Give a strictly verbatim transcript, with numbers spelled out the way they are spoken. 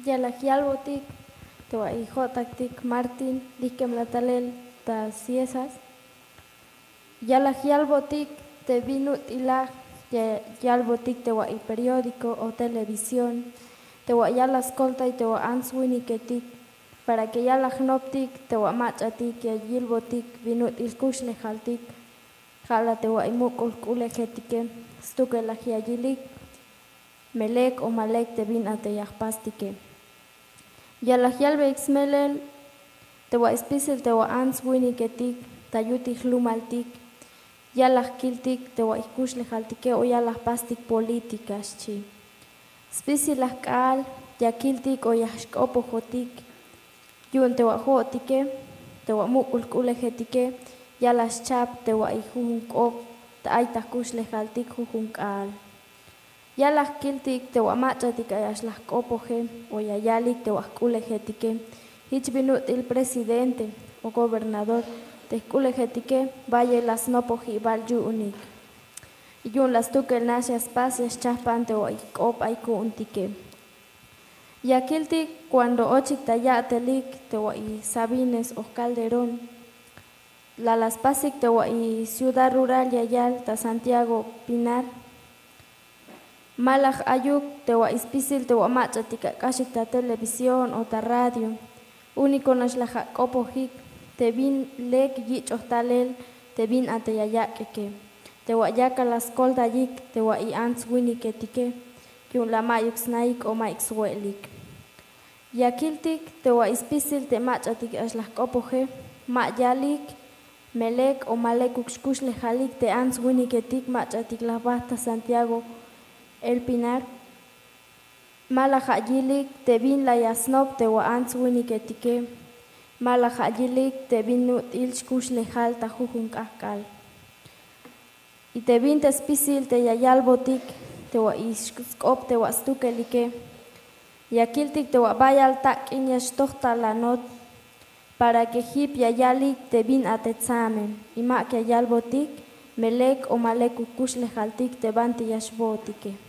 Ya laj yalbotik te wa'i jo'taktik Martin, lihkemla talel ta Ciesas. Ya laj yalbotik te bin ut'ilaj ya yalbotik te wa'i periódico o televisión, te wa' ya la skoltay te wa' ants winiketik, para que ya la jnoptik te wa' mach'atik ya yilbotik bin ut'il kuxlejaltik, ja' la te wa'i muk'ul jk'ulejetike, stukel laj ya yilik me lek o ma lek te bin a te ya jpastike. Ya laj yalbeyik smelel te wa'i spisil te wa' ants winiketik ta yutil jlumaltik, ya laj kiltik te wa'i jkuxlejaltike o ya laj jpastik polítika, xchi. Spisil laj k'aal ya kiltik o ya xk'opojotik, yu'un te wa' jo'otike te wa' muk'ul jk'ulejetike ya laj xchap te wa'i jujun k'op ta ay ta jkuxlejaltik jujun k'aal. Ya laj kiltik te wa' mach'atik ay a'ax laj jk'opoje o ya yalik te wa' jk'ulejetike, jich bin ut'il presidente o gobernador te jk'ulejetike, bayel la snopoj jibal yu'unik. Yu'un la stukel nax ya spas ya xchajpan te wa'i k'op ay ku'untike. Ya kiltik cuando ochik ta ya'telik te wa'i Sabines o Calderón, la la spasik te wa'i ciudad rural ya yal ta Santiago Pinar. Ma laj ayuk te wa'i spisil te wa' mach'atik ak'axik ta televisión o ta radio. Uniko nax laj ak'opojik te bin lek yich'oj talel te bin a te ya yak'ike, te wa' yakal la skoltayik te wa'i ants winiketike, yu'un la ma'yuk snaik o ma'yuk swe'elik. Ya kiltik te wa'i spisil te mach'atik a'ax laj jk'opoje, ma yalik me lek o ma lekuk xkuxlejalik te ants winiketik mach'atik laj bajt ta Santiago El Pinar. Ma laj ayilik te bin la ya snop te wa' ants winiketike, ma laj ayilik te bin ut'il xkuxlejal ta jujun k'ajk'al. Y te bin te spisil te ya yalbotik te wa'i sk'op te wa' stukelike, ya kiltik te wa' bayal tak'in ya xtoj ta lanot, para que jip ya yalik te bin a te tsamen y mak ya yalbotik me lek o ma lekuk kuxlejaltik te banti ya xbootike.